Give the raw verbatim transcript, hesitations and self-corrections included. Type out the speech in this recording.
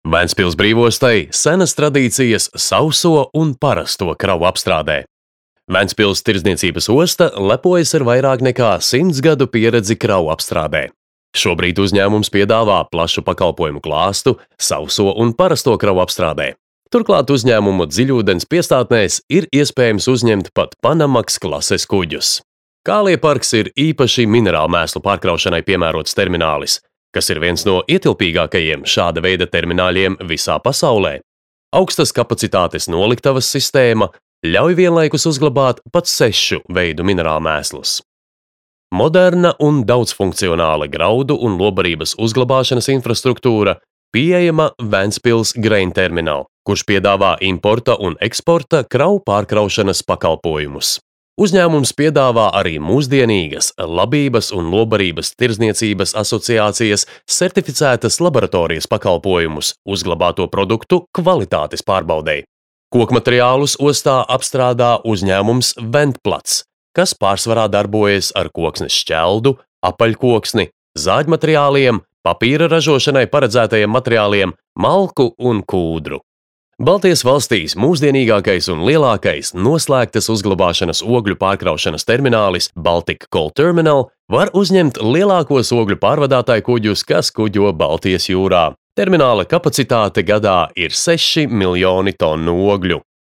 Ventspils brīvostai senas tradīcijas sauso un parasto kravu apstrādē. Ventspils tirdzniecības osta lepojas ar vairāk nekā simts gadu pieredzi kravu apstrādē. Šobrīd uzņēmums piedāvā plašu pakalpojumu klāstu sauso un parasto kravu apstrādē. Turklāt uzņēmumu dziļūdens piestātnēs ir iespējams uzņemt pat Panamax klases kuģus. Kālieparks ir īpaši minerālu mēslu pārkraušanai piemērots terminālis, kas ir viens no ietilpīgākajiem šāda veida termināļiem visā pasaulē. Augstas kapacitātes noliktavas sistēma ļauj vienlaikus uzglabāt pat sešu veidu minerālu mēslus. Moderna un daudzfunkcionāla graudu un lobarības uzglabāšanas infrastruktūra pieejama Ventspils Grain Terminal, kurš piedāvā importa un eksporta kravu pārkraušanas pakalpojumus. Uzņēmums piedāvā arī mūsdienīgas labības un lobarības tirdzniecības asociācijas certificētas laboratorijas pakalpojumus uzglabāto produktu kvalitātes pārbaudei. Kokmateriālus ostā apstrādā uzņēmums Ventplats, kas pārsvarā darbojas ar koksnes šķeldu, apaļkoksni, zāģmateriāliem, papīra ražošanai paredzētajiem materiāliem, malku un kūdru. Baltijas valstīs mūsdienīgākais un lielākais noslēgtas uzglabāšanas ogļu pārkraušanas terminālis Baltic Coal Terminal var uzņemt lielākos ogļu pārvadātāju kuģus, kas kuģo Baltijas jūrā. Termināla kapacitāte gadā ir seši miljoni tonu ogļu.